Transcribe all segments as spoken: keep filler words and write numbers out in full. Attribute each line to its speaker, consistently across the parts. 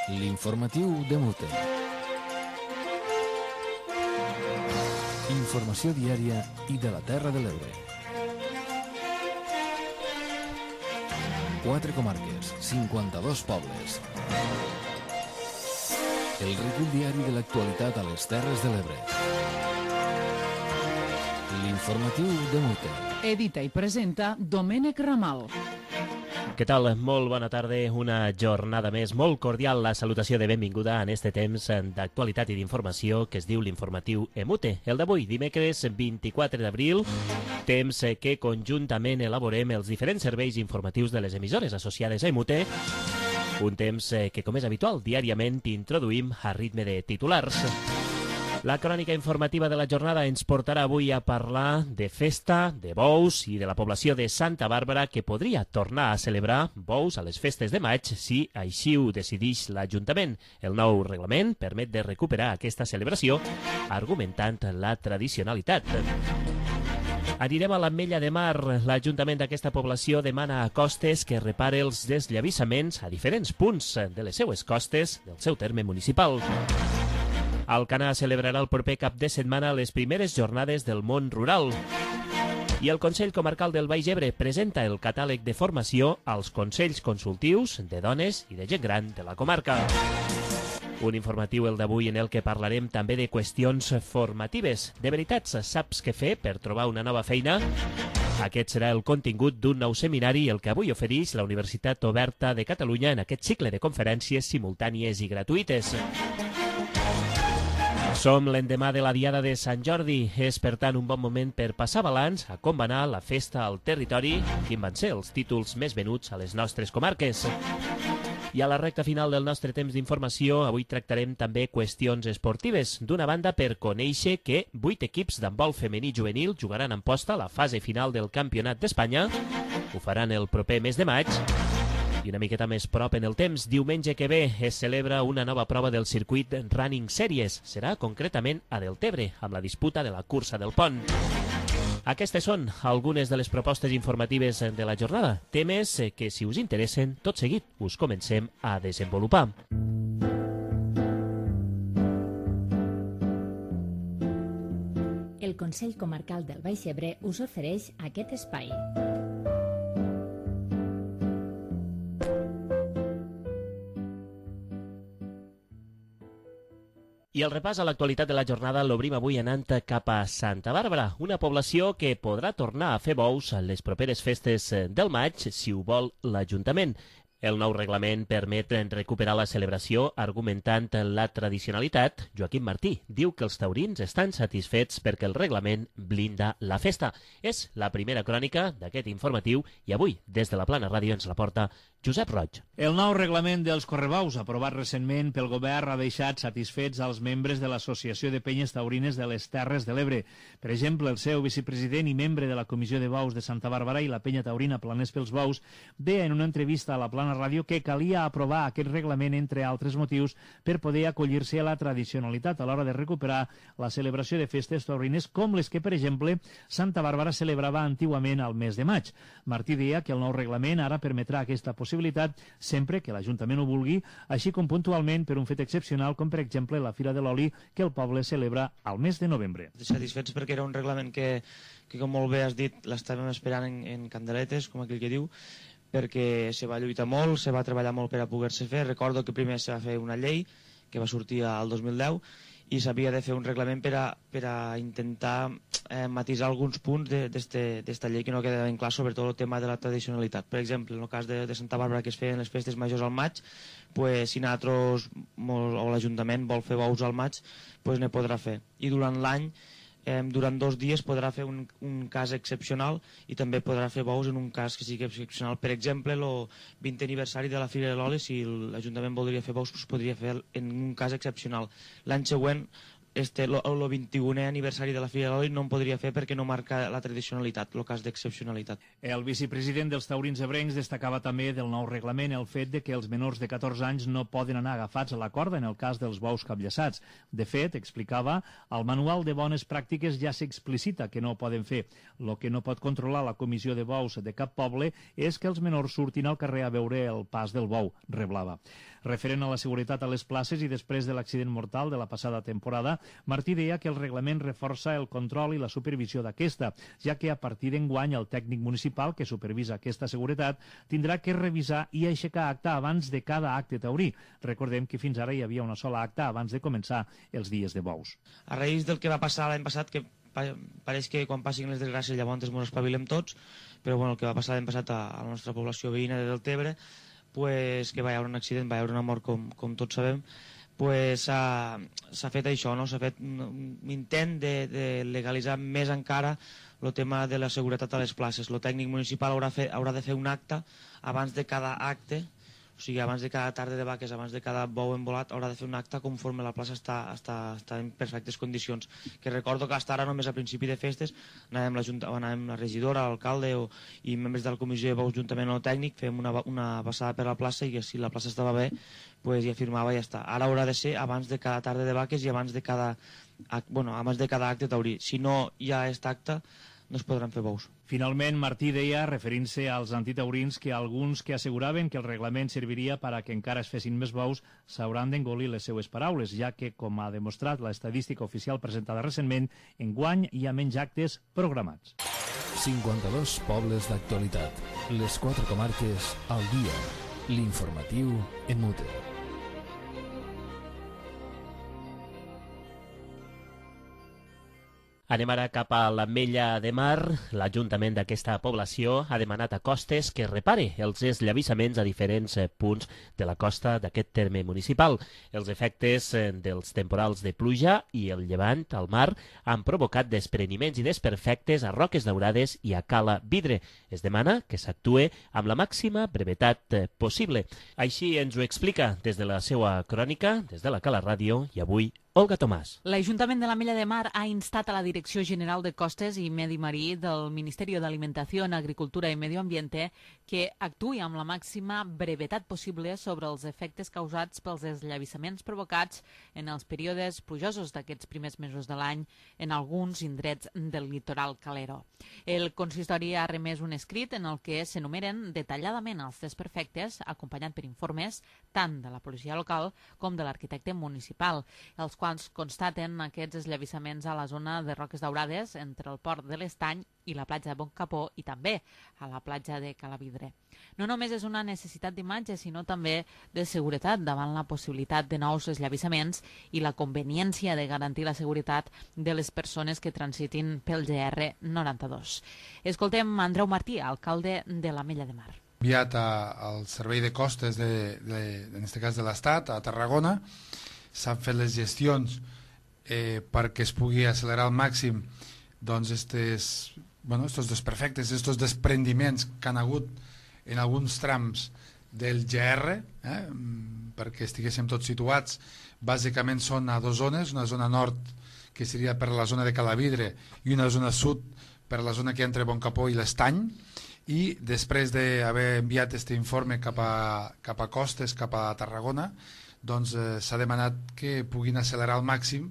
Speaker 1: L'informatiu de Mute. Informació diària i de la Terra de l'Ebre. Quatre comarques, cinquanta-dos pobles. El recull diari de l'actualitat a les Terres de l'Ebre. L'informatiu de Mute.
Speaker 2: Edita i presenta Domènec Ramal.
Speaker 3: Què tal? Molt bona tarda, una jornada més molt cordial, la salutació de benvinguda en este temps d'actualitat i d'informació que es diu l'informatiu Emute. El d'avui, dimecres vint-i-quatre d'abril, temps que conjuntament elaborem els diferents serveis informatius de les emissores associades a Emute, un temps que, com és habitual, diàriament introduïm a ritme de titulars. La crònica informativa de la jornada ens portarà avui a parlar de festa, de bous i de la població de Santa Bàrbara que podria tornar a celebrar bous a les festes de maig si així ho decideix l'Ajuntament. El nou reglament permet de recuperar aquesta celebració argumentant la tradicionalitat. Anirem a l'Ametlla de Mar. L'Ajuntament d'aquesta població demana a Costes que repare els deslavissaments a diferents punts de les seues costes del seu terme municipal. Alcanar celebrarà el proper cap de setmana les primeres jornades del món rural. I el Consell Comarcal del Baix Ebre presenta el catàleg de formació als Consells Consultius de dones i de gent gran de la comarca. Un informatiu el d'avui en el que parlarem també de qüestions formatives. De veritats, saps què fer per trobar una nova feina? Aquest serà el contingut d'un nou seminari el que avui ofereix la Universitat Oberta de Catalunya en aquest cicle de conferències simultànies i gratuïtes. Som l'endemà de la Diada de Sant Jordi. És, per tant, un bon moment per passar balanç a com va anar la festa al territori, quin van ser els títols més venuts a les nostres comarques. I a la recta final del nostre temps d'informació, avui tractarem també qüestions esportives. D'una banda, per conèixer que vuit equips d'handbol femení juvenil jugaran en posta la fase final del Campionat d'Espanya. Ho faran el proper mes de maig. I una miqueta més prop en el temps, diumenge que ve es celebra una nova prova del circuit Running Series. Serà concretament a Deltebre, amb la disputa de la cursa del pont. Aquestes són algunes de les propostes informatives de la jornada, temes que, si us interessen, tot seguit us comencem a desenvolupar.
Speaker 4: El Consell Comarcal del Baix Ebre us ofereix aquest espai.
Speaker 3: I el repàs a l'actualitat de la jornada l'obrim avui anant cap a Santa Bàrbara, una població que podrà tornar a fer bous a les properes festes del maig si ho vol l'Ajuntament. El nou reglament permet recuperar la celebració argumentant la tradicionalitat. Joaquim Martí diu que els taurins estan satisfets perquè el reglament blinda la festa. És la primera crònica d'aquest informatiu i avui, des de la Plana Ràdio, ens la porta Josep Roig.
Speaker 5: El nou reglament dels correbous, aprovat recentment pel govern, ha deixat satisfets als membres de l'Associació de Penyes Taurines de les Terres de l'Ebre. Per exemple, el seu vicepresident i membre de la Comissió de Bous de Santa Bàrbara i la Penya Taurina Planers pels Bous deia en una entrevista a la Plana Ràdio que calia aprovar aquest reglament, entre altres motius, per poder acollir-se a la tradicionalitat a l'hora de recuperar la celebració de festes taurines com les que, per exemple, Santa Bàrbara celebrava antigament al mes de maig. Martí deia que el nou reglament ara permetrà aquesta possibilitat sempre que l'Ajuntament ho vulgui, així com puntualment per un fet excepcional com, per exemple, la Fira de l'Oli que el poble celebra al mes de novembre.
Speaker 6: Satisfets perquè era un reglament que, que com molt bé has dit, l'estàvem esperant en, en candeletes, com aquell que diu, perquè se va lluitar molt, se va treballar molt per a poder-se fer. Recordo que primer se va fer una llei que va sortir al dos mil deu i s'havia de fer un reglament per a, per a intentar eh, matisar alguns punts d'esta llei que no quedaven clar, sobretot el tema de la tradicionalitat. Per exemple, en el cas de, de Santa Bàrbara, que es feien les festes majors al maig, pues, si nosaltres o l'Ajuntament vol fer bous al maig, pues, ne podrà fer. I durant l'any, eh, durant dos dies podrà fer un, un cas excepcional i també podrà fer bous en un cas que sigui excepcional. Per exemple, el vintè aniversari de la Fira de l'Oli, si l'Ajuntament voldria fer bous, pues podria fer en un cas excepcional. L'any següent este, el vint-i-unè aniversari de la Fira de l'Oli no en podria fer perquè no marca la tradicionalitat, el cas d'excepcionalitat.
Speaker 5: El vicepresident dels taurins ebrencs destacava també del nou reglament el fet de que els menors de catorze anys no poden anar agafats a la corda en el cas dels bous capllaçats. De fet, explicava, al manual de bones pràctiques ja s'explicita que no ho poden fer. El que no pot controlar la comissió de bous de cap poble és que els menors surtin al carrer a veure el pas del bou, reblava. Referent a la seguretat a les places i després de l'accident mortal de la passada temporada, Martí deia que el reglament reforça el control i la supervisió d'aquesta, ja que a partir d'enguany el tècnic municipal que supervisa aquesta seguretat tindrà que revisar i aixecar acta abans de cada acte taurí. Recordem que fins ara hi havia una sola acta abans de començar els dies de bous.
Speaker 6: A raïs del que va passar l'any passat, que pareix que quan passin les desgràcies llavors ens espavilem tots, però bueno, el que va passar l'any passat a la nostra població veïna de Deltebre, pues, que va haver un accident, va haver una mort com, com tots sabem, pues, s'ha fet això, no? S'ha fet un intent de, de legalitzar més encara el tema de la seguretat a les places. El tècnic municipal haurà, fe, haurà de fer un acte abans de cada acte, o sigui, abans de cada tarda de vaques, abans de cada bou embolat, haurà de fer un acte conforme la plaça està, està, està en perfectes condicions. Que recordo que fins ara, només a principi de festes, anàvem la, junta, anàvem la regidora, l'alcalde o, i membres de la comissió de bous juntament amb el tècnic, fèiem una, una passada per la plaça i si la plaça estava bé, pues ja firmava i ja està. Ara haurà de ser abans de cada tarda de vaques i abans de cada, bueno, abans de cada acte taurí. Si no hi ha aquest acte, no es podran fer bous.
Speaker 5: Finalment, Martí deia, referint-se als antitaurins, que alguns que asseguraven que el reglament serviria per a que encara es fessin més bous s'hauran d'engolir les seues paraules, ja que, com ha demostrat l'estadística oficial presentada recentment, enguany hi ha menys actes programats.
Speaker 1: cinquanta-dos pobles d'actualitat. Les quatre comarques al dia. L'informatiu en Mute.
Speaker 3: Anem ara cap a l'Ametlla de Mar. L'Ajuntament d'aquesta població ha demanat a Costes que repare els eslavissaments a diferents punts de la costa d'aquest terme municipal. Els efectes dels temporals de pluja i el llevant al mar han provocat despreniments i desperfectes a Roques Daurades i a Cala Vidre. Es demana que s'actue amb la màxima brevetat possible. Així ens ho explica des de la seva crònica, des de la Cala Ràdio, i avui Olga Tomàs.
Speaker 2: L'Ajuntament de l'Ametlla de Mar ha instat a la Direcció General de Costes i Medi Marí del Ministeri d'Alimentació, Agricultura i Medio Ambiente que actuï amb la màxima brevetat possible sobre els efectes causats pels eslavissaments provocats en els períodes plujosos d'aquests primers mesos de l'any en alguns indrets del litoral calero. El consistori ha remès un escrit en el que s'enumeren detalladament els desperfectes, acompanyat per informes tant de la policia local com de l'arquitecte municipal, els quals constaten aquests eslavissaments a la zona de Roques Daurades entre el port de l'Estany i la platja de Boncapó i també a la platja de Calavidre. No només és una necessitat d'imatge, sinó també de seguretat davant la possibilitat de nous eslavissaments i la conveniència de garantir la seguretat de les persones que transitin pel G R noranta-dos. Escoltem Andreu Martí, alcalde de l'Ametlla de Mar.
Speaker 7: Enviat al servei de costes, de, de, en aquest cas de l'Estat, a Tarragona. S'han fet les gestions eh, perquè es pugui accelerar al màxim doncs estes, bueno, estos desperfectes, estos desprendiments que han hagut en alguns trams del G R, eh, perquè estiguéssim tots situats. Bàsicament són a dues zones, una zona nord que seria per la zona de Calavidre i una zona sud per la zona que entre Boncapó i l'Estany, i després d'haver enviat aquest informe cap a, cap a Costes, cap a Tarragona, doncs eh, s'ha demanat que puguin accelerar al màxim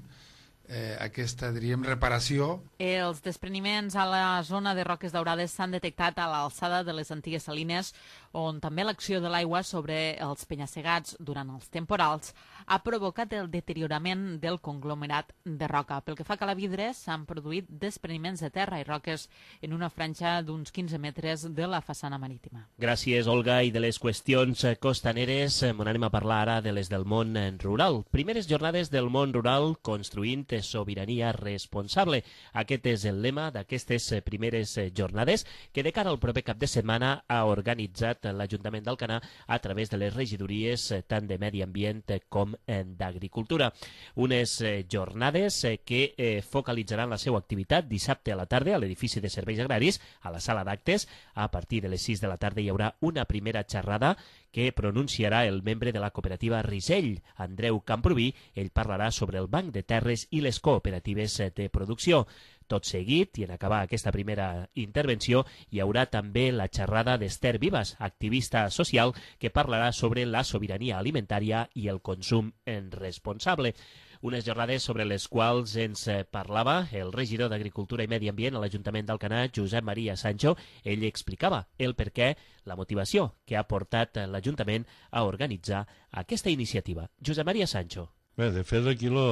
Speaker 7: eh, aquesta, diríem, reparació.
Speaker 2: Els despreniments a la zona de Roques Daurades s'han detectat a l'alçada de les antigues salines, on també l'acció de l'aigua sobre els penya-segats durant els temporals ha provocat el deteriorament del conglomerat de roca. Pel que fa a Calavidre, s'han produït despreniments de terra i roques en una franja d'uns quinze metres de la façana marítima.
Speaker 3: Gràcies, Olga. I de les qüestions costaneres, m'on anem a parlar ara de les del món rural. Primeres jornades del món rural construint sobirania responsable. Aquest és el lema d'aquestes primeres jornades que de cara al proper cap de setmana ha organitzat l'Ajuntament d'Alcanar a través de les regidories tant de Medi Ambient com d'Agricultura. Unes jornades que focalitzaran la seva activitat dissabte a la tarda a l'edifici de serveis agraris, a la sala d'actes. A partir de les sis de la tarda hi haurà una primera xerrada que pronunciarà el membre de la cooperativa Risell, Andreu Camproví. Ell parlarà sobre el Banc de Terres i les cooperatives de producció. Tot seguit, i en acabar aquesta primera intervenció, hi haurà també la xerrada d'Esther Vives, activista social, que parlarà sobre la sobirania alimentària i el consum responsable. Unes jornades sobre les quals ens parlava el regidor d'Agricultura i Medi Ambient a l'Ajuntament d'Alcanar, Josep Maria Sancho. Ell explicava el perquè, la motivació que ha portat l'Ajuntament a organitzar aquesta iniciativa. Josep Maria Sancho.
Speaker 8: Bé, de fet, aquí lo...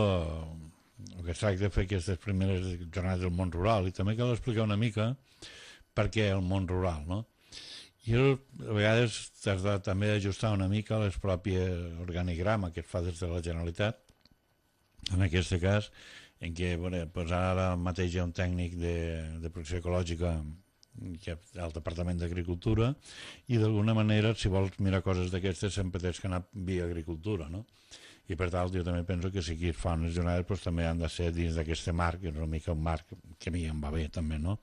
Speaker 8: el que es tracta de fer aquestes primeres jornades del món rural, i també cal explicar una mica per què el món rural, no? I a vegades t'has de també ajustar una mica les pròpies organigrama que es fa des de la Generalitat, en aquest cas, en què bueno, pues ara mateix hi ha un tècnic de, de producció ecològica que al Departament d'Agricultura, i d'alguna manera, si vols mirar coses d'aquestes, sempre tens que anar via agricultura, no? I per tant, jo també penso que si aquí es fan les jornades doncs, també han de ser dins d'aquest marc, que és una mica un marc que a mi em va bé també, no?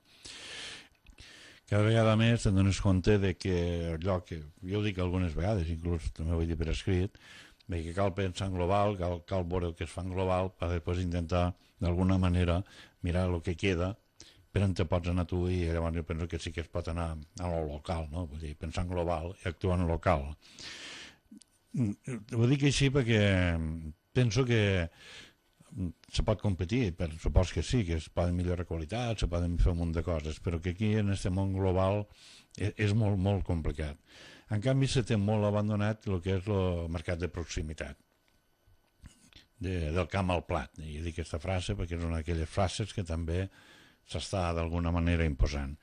Speaker 8: Cada vegada més te'n dones compte de que allò que jo ho dic algunes vegades, inclús també ho he dit per escrit, que cal pensar en global, cal, cal veure el que es fa en global per després intentar d'alguna manera mirar el que queda per on te pots anar tu, i llavors jo penso que sí que es pot anar a lo local, no? Vull dir, pensar en global i actuar en local. Ho dic així perquè penso que se pot competir, per supos que sí, que es poden millorar qualitat, se poden fer un munt de coses, però que aquí en aquest món global és, és molt, molt complicat. En canvi, se té molt abandonat el que és el mercat de proximitat, de, del camp al plat. I dic aquesta frase perquè és una d'aquelles frases que també s'està d'alguna manera imposant.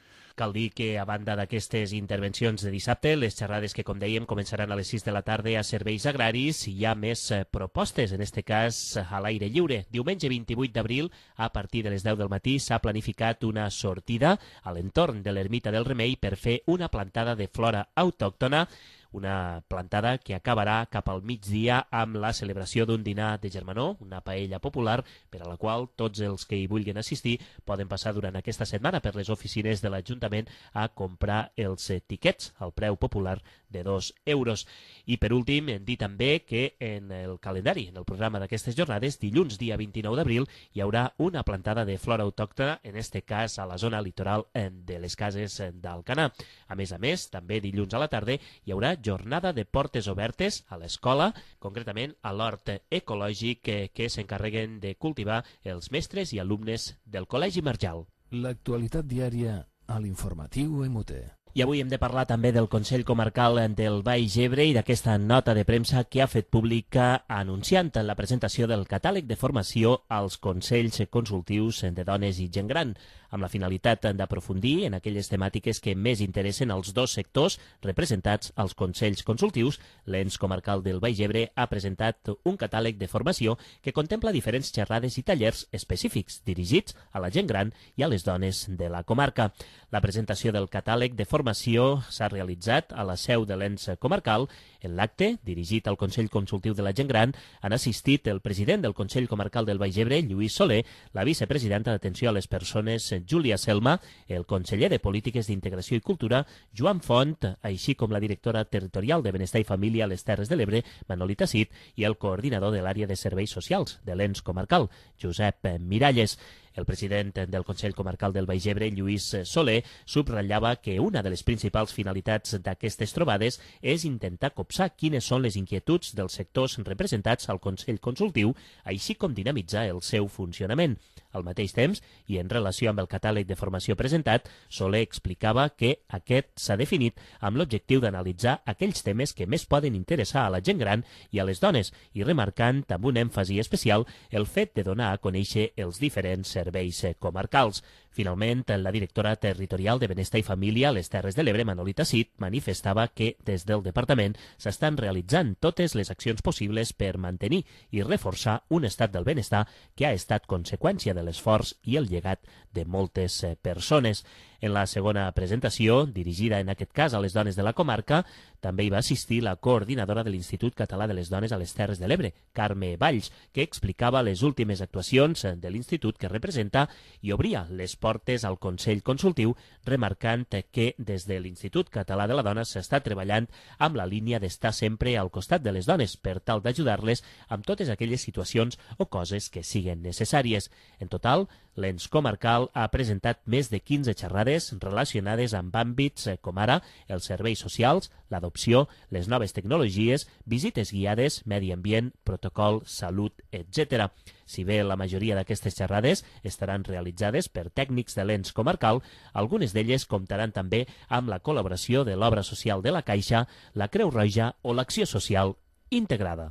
Speaker 3: Cal dir que, a banda d'aquestes intervencions de dissabte, les xerrades que, com dèiem, començaran a les sis de la tarda a serveis agraris, hi ha més propostes, en aquest cas a l'aire lliure. Diumenge vint-i-vuit d'abril, a partir de les deu del matí, s'ha planificat una sortida a l'entorn de l'Ermita del Remei per fer una plantada de flora autòctona, una plantada que acabarà cap al migdia amb la celebració d'un dinar de germanor, una paella popular, per a la qual tots els que hi vulguin assistir poden passar durant aquesta setmana per les oficines de l'Ajuntament a comprar els tiquets al preu popular de dos euros. I per últim, dir també que en el calendari, en el programa d'aquestes jornades, dilluns dia vint-i-nou d'abril, hi haurà una plantada de flora autòctona, en este cas a la zona litoral de les Cases d'Alcanar. A més a més, també dilluns a la tarda hi haurà jornada de portes obertes a l'escola, concretament a l'hort ecològic que, que s'encarreguen de cultivar els mestres i alumnes del Col·legi Marjal.
Speaker 1: L'actualitat diària a l'informatiu M U T.
Speaker 3: I avui hem de parlar també del Consell Comarcal del Baix Ebre i d'aquesta nota de premsa que ha fet pública anunciant la presentació del catàleg de formació als Consells Consultius de Dones i Gent Gran, amb la finalitat d'aprofundir en aquelles temàtiques que més interessen als dos sectors representats als Consells Consultius. L'Ens Comarcal del Baix Ebre ha presentat un catàleg de formació que contempla diferents xerrades i tallers específics dirigits a la gent gran i a les dones de la comarca. La presentació del catàleg de formació s'ha realitzat a la seu de l'Ens Comarcal. En l'acte, dirigit al Consell Consultiu de la Gent Gran, han assistit el president del Consell Comarcal del Baix Ebre, Lluís Soler, la vicepresidenta d'Atenció a les Persones, Júlia Selma, el conseller de Polítiques d'Integració i Cultura, Joan Font, així com la directora territorial de Benestar i Família a les Terres de l'Ebre, Manolita Cid, i el coordinador de l'àrea de serveis socials de l'Ens Comarcal, Josep Miralles. El president del Consell Comarcal del Baix Ebre, Lluís Soler, subratllava que una de les principals finalitats d'aquestes trobades és intentar copsar quines són les inquietuds dels sectors representats al Consell Consultiu, així com dinamitzar el seu funcionament. Al mateix temps, i en relació amb el catàleg de formació presentat, Soler explicava que aquest s'ha definit amb l'objectiu d'analitzar aquells temes que més poden interessar a la gent gran i a les dones, i remarcant amb un èmfasi especial el fet de donar a conèixer els diferents serveis comarcals. Finalment, la directora territorial de Benestar i Família a les Terres de l'Ebre, Manolita Cid, manifestava que des del departament s'estan realitzant totes les accions possibles per mantenir i reforçar un estat del benestar que ha estat conseqüència de l'esforç i el llegat de moltes persones. En la segona presentació, dirigida en aquest cas a les dones de la comarca, també hi va assistir la coordinadora de l'Institut Català de les Dones a les Terres de l'Ebre, Carme Valls, que explicava les últimes actuacions de l'institut que representa i obria les portes al Consell Consultiu, remarcant que des de l'Institut Català de la Dona s'està treballant amb la línia d'estar sempre al costat de les dones per tal d'ajudar-les amb totes aquelles situacions o coses que siguen necessàries. En total, l'ens comarcal ha presentat més de quinze xerrades relacionades amb àmbits com ara els serveis socials, l'adopció, les noves tecnologies, visites guiades, medi ambient, protocol, salut, etcètera. Si bé la majoria d'aquestes xerrades estaran realitzades per tècnics de l'ens comarcal, algunes d'elles comptaran també amb la col·laboració de l'Obra Social de la Caixa, la Creu Roja o l'Acció Social Integrada.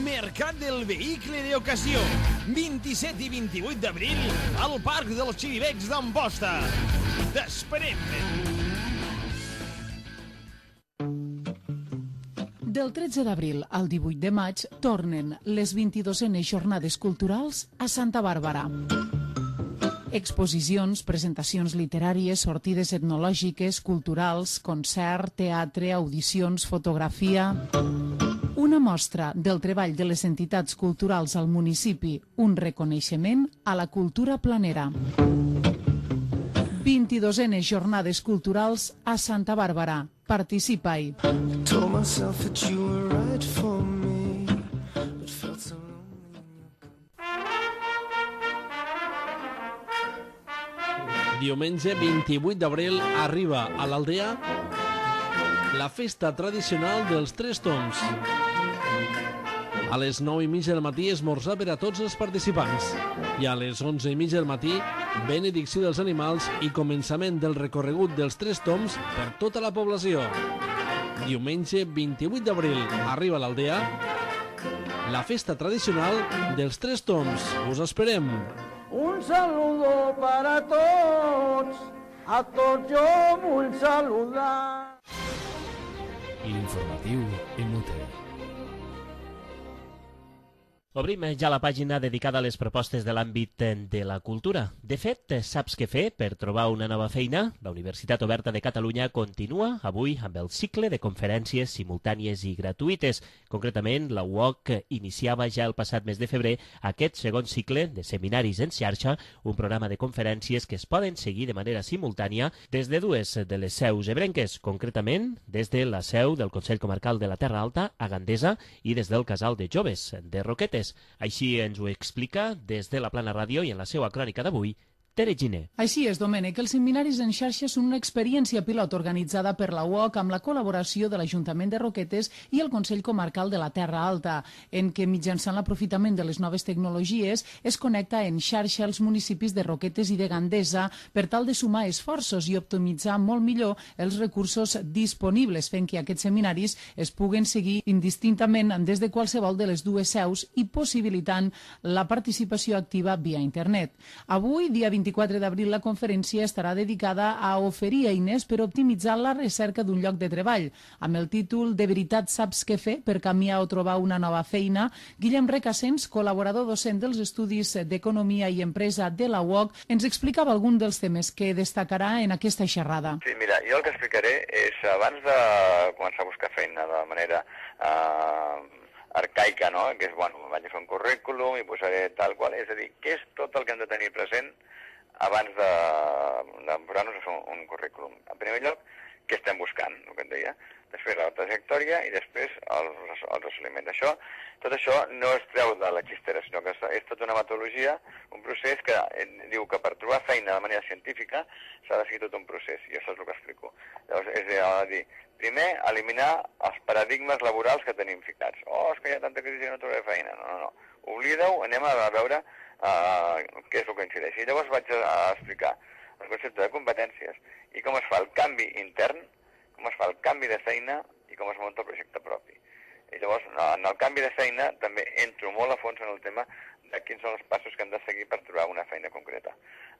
Speaker 9: Mercat del Vehicle d'Ocasió, vint-i-set i vint-i-vuit d'abril, al Parc dels Xiribecs d'Amposta. T'esperem!
Speaker 10: Del tretze d'abril al divuit de maig tornen les vint-i-dosenes jornades culturals a Santa Bàrbara. Exposicions, presentacions literàries, sortides etnològiques, culturals, concert, teatre, audicions, fotografia... Una mostra del treball de les entitats culturals al municipi, un reconeixement a la cultura planera. vint-i-dosenes jornades culturals a Santa Bàrbara. Participa-hi.
Speaker 11: Diumenge vint-i-vuit d'abril arriba a l'Aldea la festa tradicional dels Tres Tombs. A les nou i mitja del matí esmorzar per a tots els participants i a les onze i mitja del matí benedicció dels animals i començament del recorregut dels Tres Tombs per tota la població. Diumenge vint-i-vuit d'abril arriba a l'Aldea la festa tradicional dels Tres Tombs. Us esperem.
Speaker 12: Un saludo para tots, a tots jo vull saludar.
Speaker 1: L'informatiu Emute.
Speaker 3: Obrim ja la pàgina dedicada a les propostes de l'àmbit de la cultura. De fet, saps què fer per trobar una nova feina? La Universitat Oberta de Catalunya continua avui amb el cicle de conferències simultànies i gratuïtes. Concretament, la U O C iniciava ja el passat mes de febrer aquest segon cicle de seminaris en xarxa, un programa de conferències que es poden seguir de manera simultània des de dues de les seus ebrenques, concretament des de la seu del Consell Comarcal de la Terra Alta, a Gandesa, i des del Casal de Joves, de Roquetes. Així ens ho explica des de la Plana Ràdio i en la seva crònica d'avui, Tere Giner.
Speaker 10: Així és, Domènec. Els seminaris en xarxa són una experiència pilot organitzada per la U O C amb la col·laboració de l'Ajuntament de Roquetes i el Consell Comarcal de la Terra Alta, en què mitjançant l'aprofitament de les noves tecnologies es connecta en xarxa els municipis de Roquetes i de Gandesa per tal de sumar esforços i optimitzar molt millor els recursos disponibles, fent que aquests seminaris es puguen seguir indistintament des de qualsevol de les dues seus i possibilitant la participació activa via internet. Avui, dia vint-i-quatre d'abril, la conferència estarà dedicada a oferir eines per optimitzar la recerca d'un lloc de treball. Amb el títol De veritat saps què fer per canviar o trobar una nova feina, Guillem Recassens, col·laborador docent dels Estudis d'Economia i Empresa de la U O C, ens explicava algun dels temes que destacarà en aquesta xerrada.
Speaker 13: Sí, mira, jo el que explicaré és, abans de començar a buscar feina de manera eh, arcaica, no?, que és, bueno, vaig a fer un currículum i posaré tal qual, és a dir, què és tot el que hem de tenir present abans de, de posar-nos a fer un, un currículum. En primer lloc, què estem buscant, el que et deia. Després la trajectòria i després els, els assoliments. Això, tot això no es treu de la xistera, sinó que és tota una metodologia, un procés que diu que per trobar feina de manera científica s'ha de seguir tot un procés, i això és el que explico. Llavors, és a dir, primer, eliminar els paradigmes laborals que tenim ficats. Oh, és que hi ha tanta crisi i no trobaré feina. No, no, no. Oblida-ho, anem a veure uh, què és el que incideix. I llavors vaig a explicar el concepte de competències i com es fa el canvi intern, com es fa el canvi de feina i com es munta el projecte propi. I llavors, en el canvi de feina també entro molt a fons en el tema de quins són els passos que hem de seguir per trobar una feina concreta.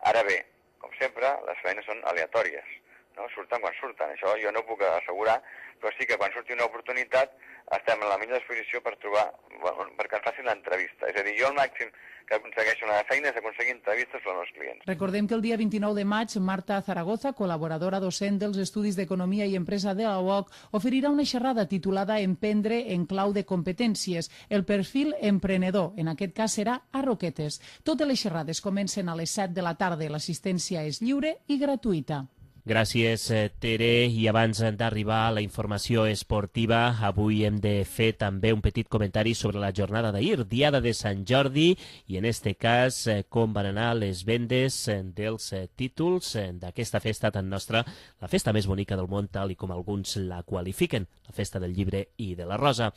Speaker 13: Ara bé, com sempre, les feines són aleatòries, no? Surten quan surten. Això jo no ho puc assegurar, però sí que quan surti una oportunitat estem en la millor disposició per trobar, bueno, perquè ens facin una entrevista. És a dir, jo el màxim que aconsegueixo una feina és aconseguir entrevistes per als meus clients.
Speaker 10: Recordem que el dia vint-i-nou de maig, Marta Zaragoza, col·laboradora docent dels Estudis d'Economia i Empresa de la U O C, oferirà una xerrada titulada Emprendre en clau de competències. El perfil emprenedor, en aquest cas, serà a Roquetes. Totes les xerrades comencen a les set de la tarda. L'assistència és lliure i gratuïta.
Speaker 3: Gràcies, Tere. I abans d'arribar a la informació esportiva, avui hem de fer també un petit comentari sobre la jornada d'ahir, Diada de Sant Jordi, i en este cas com van anar les vendes dels títols d'aquesta festa tan nostra, la festa més bonica del món, tal i com alguns la qualifiquen, la festa del llibre i de la rosa.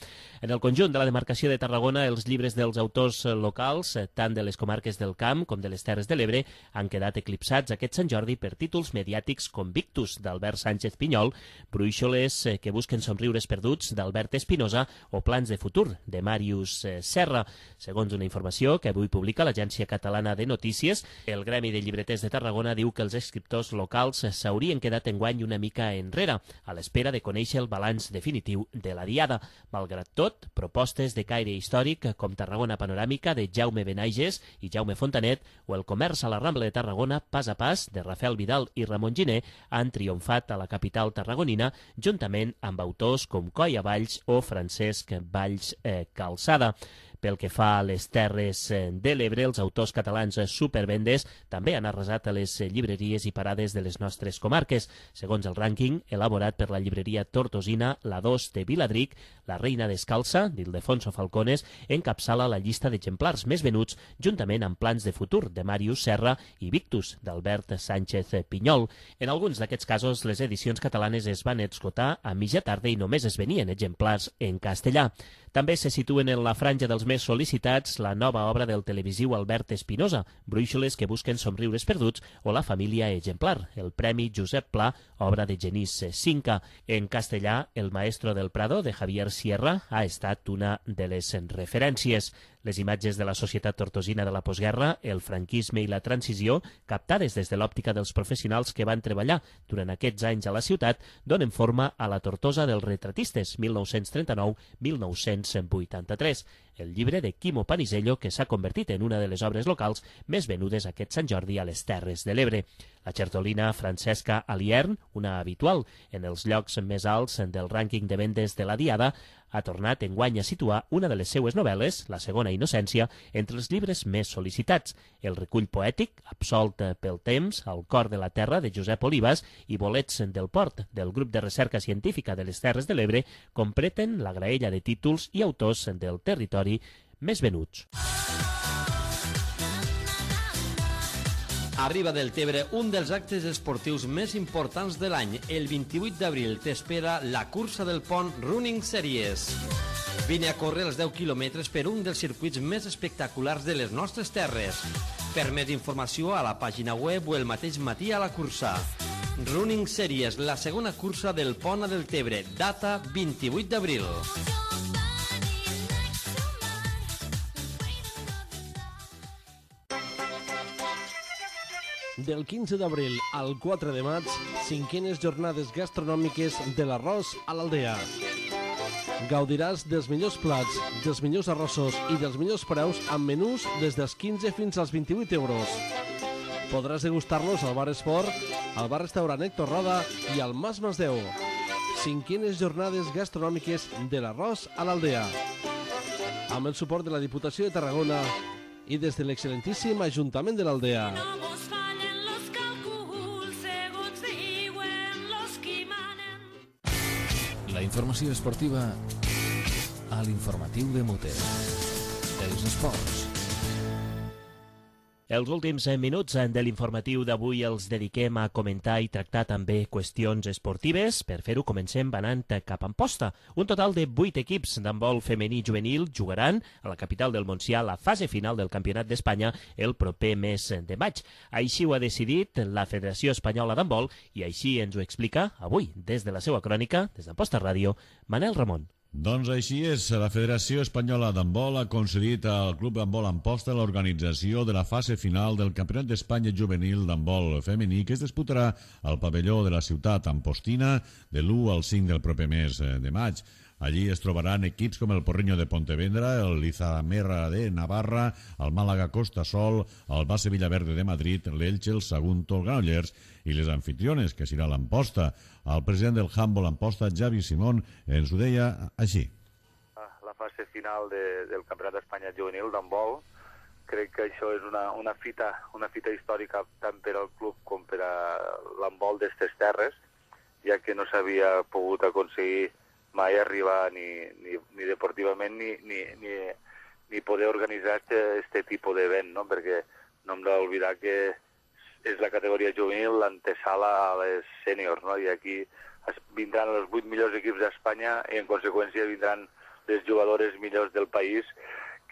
Speaker 3: En el conjunt de la demarcació de Tarragona, els llibres dels autors locals, tant de les comarques del Camp com de les Terres de l'Ebre, han quedat eclipsats aquest Sant Jordi per títols mediàtics com Victus, d'Albert Sánchez Pinyol, Bruixoles que busquen somriures perduts, d'Albert Espinosa, o Plans de futur, de Màrius Serra. Segons una informació que avui publica l'Agència Catalana de Notícies, el Gremi de Llibreters de Tarragona diu que els escriptors locals s'haurien quedat enguany una mica enrere, a l'espera de conèixer el balanç definitiu de la Diada. Malgrat tot, propostes de caire històric com Tarragona Panoràmica, de Jaume Benaiges i Jaume Fontanet, o El comerç a la Rambla de Tarragona, pas a pas, de Rafael Vidal i Ramon Giner, han triomfat a la capital tarragonina, juntament amb autors com Coia Valls o Francesc Valls eh, Calçada. Pel que fa a les Terres de l'Ebre, els autors catalans supervendes també han arrasat a les llibreries i parades de les nostres comarques. Segons el rànquing elaborat per la llibreria tortosina, la dos de Viladric, La reina descalça, d'Ildefonso Falcones, encapçala la llista d'exemplars més venuts, juntament amb Plans de futur, de Màrius Serra, i Victus, d'Albert Sánchez Pinyol. En alguns d'aquests casos, les edicions catalanes es van esgotar a mitja tarda i només es venien exemplars en castellà. També se situen en la franja dels més sol·licitats la nova obra del televisiu Albert Espinosa, Bruixoles que busquen somriures perduts, o La família exemplar, el Premi Josep Pla, obra de Genís Cinca. En castellà, El maestro del Prado, de Javier Sierra, ha estat una de les referències. Les imatges de la societat tortosina de la postguerra, el franquisme i la transició, captades des de l'òptica dels professionals que van treballar durant aquests anys a la ciutat, donen forma a la Tortosa dels retratistes, mil nou-cents trenta-nou a mil nou-cents vuitanta-tres, el llibre de Quimo Panisello, que s'ha convertit en una de les obres locals més venudes aquest Sant Jordi a les Terres de l'Ebre. La xertolina Francesca Aliern, una habitual en els llocs més alts del rànquing de vendes de la Diada, ha tornat enguany a situar una de les seues novel·les, La segona innocència, entre els llibres més sol·licitats. El recull poètic, Absolt pel temps, Al cor de la terra, de Josep Olivas, i Bolets del port, del grup de recerca científica de les Terres de l'Ebre, completen la graella de títols i autors del territori més venuts.
Speaker 11: Arriba del Tebre un dels actes esportius més importants de l'any. El vint-i-vuit d'abril t'espera la cursa del pont Running Series. Vine a córrer els deu quilòmetres per un dels circuits més espectaculars de les nostres terres. Per més informació a la pàgina web o el mateix matí a la cursa. Running Series, la segona cursa del pont a del Tebre, data vint-i-vuit d'abril. Del quinze d'abril al quatre de maig, cinquenes jornades gastronòmiques de l'arròs a l'Aldea. Gaudiràs dels millors plats, dels millors arrossos i dels millors preus amb menús des dels quinze fins als vint-i-vuit euros. Podràs degustar-los al Bar Esport, al Bar Restaurant Héctor Roda i al Mas Masdeu. Cinquenes jornades gastronòmiques de l'arròs a l'Aldea. Amb el suport de la Diputació de Tarragona i des de l'excel·lentíssim Ajuntament de l'Aldea.
Speaker 1: La informació esportiva a l'informatiu de Mute. Els esports.
Speaker 3: Els últims minuts de l'informatiu d'avui els dediquem a comentar i tractar també qüestions esportives. Per fer-ho comencem anant cap a Amposta. Un total de vuit equips d'handbol femení juvenil jugaran a la capital del Montsià la fase final del Campionat d'Espanya el proper mes de maig. Així ho ha decidit la Federació Espanyola d'Handbol i així ens ho explica avui, des de la seva crònica, des d'Amposta Ràdio, Manel Ramon.
Speaker 14: Doncs així és, la Federació Espanyola d'Handbol ha concedit al Club Handbol Amposta l'organització de la fase final del Campionat d'Espanya Juvenil d'Handbol Femení que es disputarà al pavelló de la ciutat ampostina de l'u al cinc del proper mes de maig. Allí es trobaran equips com el Porriño de Pontevedra, el Lizamerra de Navarra, el Màlaga Costa Sol, el Base Villaverde de Madrid, l'Elche, el Sagunto, el Granollers i les anfitriones, que serà l'Amposta. El president del Handball Amposta, Xavi Simón, ens ho deia així.
Speaker 15: La fase final de, del Campionat d'Espanya juvenil d'handbol, crec que això és una, una, fita, una fita històrica tant per al club com per a l'handbol d'estes terres, ja que no s'havia pogut aconseguir mai arribar ni, ni, ni deportivament ni, ni, ni, ni poder organitzar este, este tipus d'event, no? Perquè no hem d'oblidar que és la categoria juvenil l'antesala a les sèniors, no? I aquí vindran els vuit millors equips d'Espanya i en conseqüència vindran les jugadores millors del país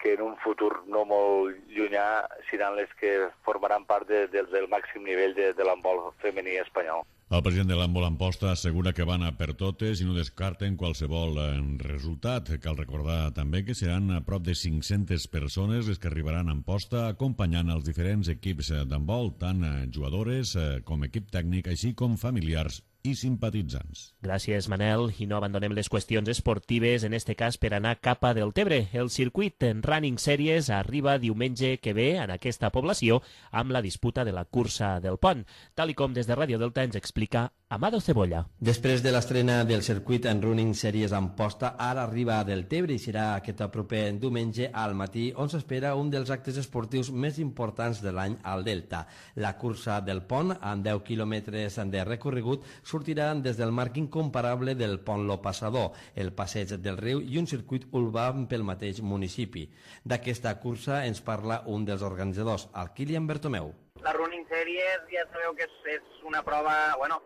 Speaker 15: que en un futur no molt llunyà seran les que formaran part de, de, del màxim nivell de, de l'handbol femení espanyol.
Speaker 14: El president de l'handbol Amposta assegura que van a per totes i no descarten qualsevol resultat. Cal recordar també que seran a prop de cinc-centes persones les que arribaran a Amposta acompanyant els diferents equips d'handbol, tant jugadores com equip tècnic, així com familiars i simpatitzants.
Speaker 3: Gràcies, Manel. I no abandonem les qüestions esportives, en este cas per anar cap a Deltebre. El circuit en Running Series arriba diumenge que ve en aquesta població amb la disputa de la cursa del pont, tal i com des de Ràdio Delta ens explica Amado Cebolla.
Speaker 16: Després de l'estrena del circuit en Running Series Amposta, ara arriba a Deltebre i serà aquest proper diumenge al matí, on s'espera un dels actes esportius més importants de l'any al Delta. La cursa del pont, amb deu quilòmetres de recorregut, sortiran des del marc incomparable del pont Lo Passador, el passeig del riu i un circuit urbà pel mateix municipi. D'aquesta cursa ens parla un dels organitzadors, el Kilian Bertomeu.
Speaker 17: La Running Series ja sabeu que és, és una prova, bueno,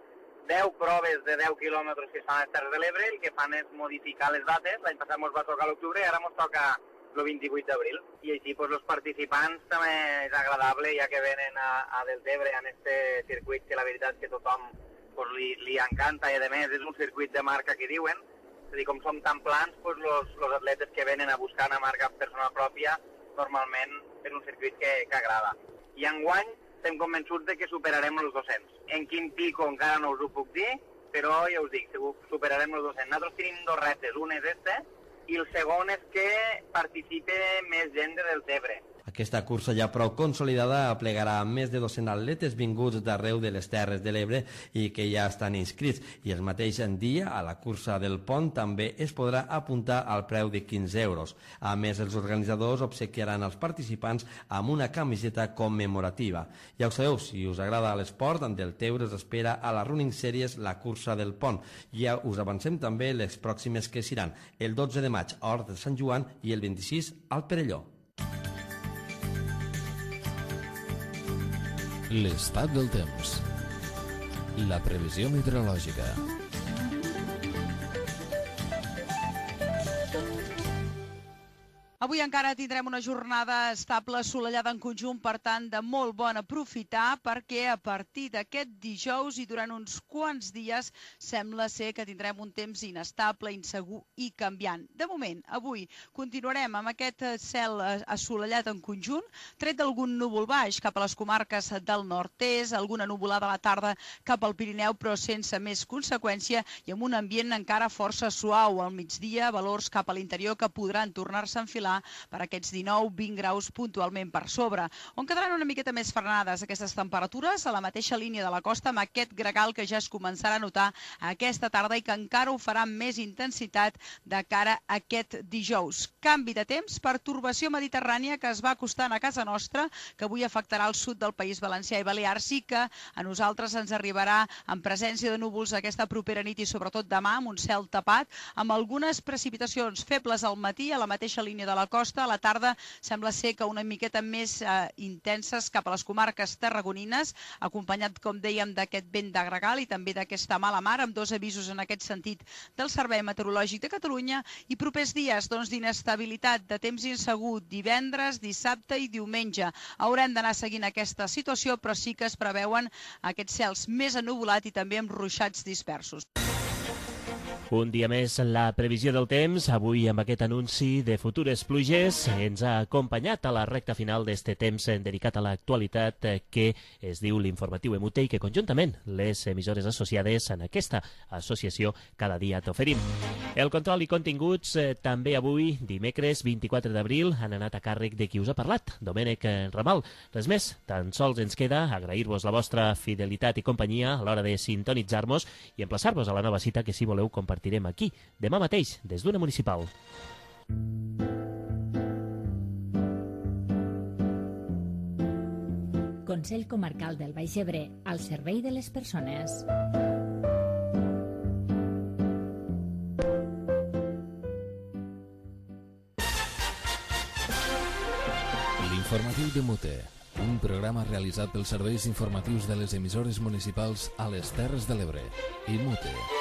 Speaker 17: deu proves de deu quilòmetres que es fan a les Terres de l'Ebre, el que fan és modificar les dates. L'any passat ens va tocar a l'octubre i ara ens toca el vint-i-vuit d'abril. I així pues, els participants també és agradable, ja que venen a, a Deltebre en este circuit que la veritat és que tothom pues, li, li encanta i a més és un circuit de marca que diuen. És a dir, com som tan plans, pues, los, los atletes que venen a buscar una marca personal pròpia normalment és un circuit que, que agrada. I enguany estem convençuts de que superarem els dos-cents. En quin pico encara no us ho puc dir, però ja us dic, superarem els dos-cents. Nosaltres tenim dos reptes, un és este, i el segon és que participe més gent de Deltebre.
Speaker 16: Aquesta cursa ja prou consolidada aplegarà més de dos-cents atletes vinguts d'arreu de les Terres de l'Ebre i que ja estan inscrits. I el mateix dia, a la cursa del pont, també es podrà apuntar al preu de quinze euros. A més, els organitzadors obsequiaran als participants amb una camiseta commemorativa. Ja ho sabeu, si us agrada l'esport, en Deltebre us espera a la Running Series la cursa del pont. Ja us avancem també les pròximes que seran el dotze de maig a Hort de Sant Joan i el vint-i-sis al Perelló.
Speaker 1: L'estat del temps. La previsió meteorològica.
Speaker 18: Avui encara tindrem una jornada estable, assolellada en conjunt, per tant, de molt bon aprofitar, perquè a partir d'aquest dijous i durant uns quants dies sembla ser que tindrem un temps inestable, insegur i canviant. De moment, avui continuarem amb aquest cel assolellat en conjunt, tret d'algun núvol baix cap a les comarques del nord-est, alguna nuvolada a la tarda cap al Pirineu, però sense més conseqüència i amb un ambient encara força suau al migdia, valors cap a l'interior que podran tornar-se a enfilar per aquests dinou vint graus puntualment per sobre, on quedaran una miqueta més frenades aquestes temperatures a la mateixa línia de la costa, amb aquest gregal que ja es començarà a notar aquesta tarda i que encara ho farà amb més intensitat de cara a aquest dijous. Canvi de temps, pertorbació mediterrània que es va acostant a casa nostra, que avui afectarà el sud del País Valencià i Balears i que a nosaltres ens arribarà en presència de núvols aquesta propera nit i sobretot demà amb un cel tapat, amb algunes precipitacions febles al matí a la mateixa línia de la costa. A la tarda sembla ser que una miqueta més eh, intenses cap a les comarques tarragonines, acompanyat, com dèiem, d'aquest vent de gregal i també d'aquesta mala mar, amb dos avisos en aquest sentit del Servei Meteorològic de Catalunya, i propers dies doncs, d'inestabilitat, de temps insegur, divendres, dissabte i diumenge. Haurem d'anar seguint aquesta situació, però sí que es preveuen aquests cels més ennuvolats i també amb ruixats dispersos.
Speaker 3: Un dia més la previsió del temps, avui amb aquest anunci de futures pluges ens ha acompanyat a la recta final d'este temps dedicat a l'actualitat que es diu l'informatiu E M U T E i que conjuntament les emissores associades en aquesta associació cada dia t'oferim. El control i continguts eh, també avui, dimecres vint-i-quatre d'abril, han anat a càrrec de qui us ha parlat, Domènec Ramal. Res més, tan sols ens queda agrair-vos la vostra fidelitat i companyia a l'hora de sintonitzar-nos i emplaçar-vos a la nova cita que si voleu compartir Compartirem aquí, demà mateix, des d'una municipal.
Speaker 4: Consell Comarcal del Baix Ebre, al servei de les persones.
Speaker 1: L'informatiu de Mute, un programa realitzat pels serveis informatius de les emissores municipals a les Terres de l'Ebre. I Mute.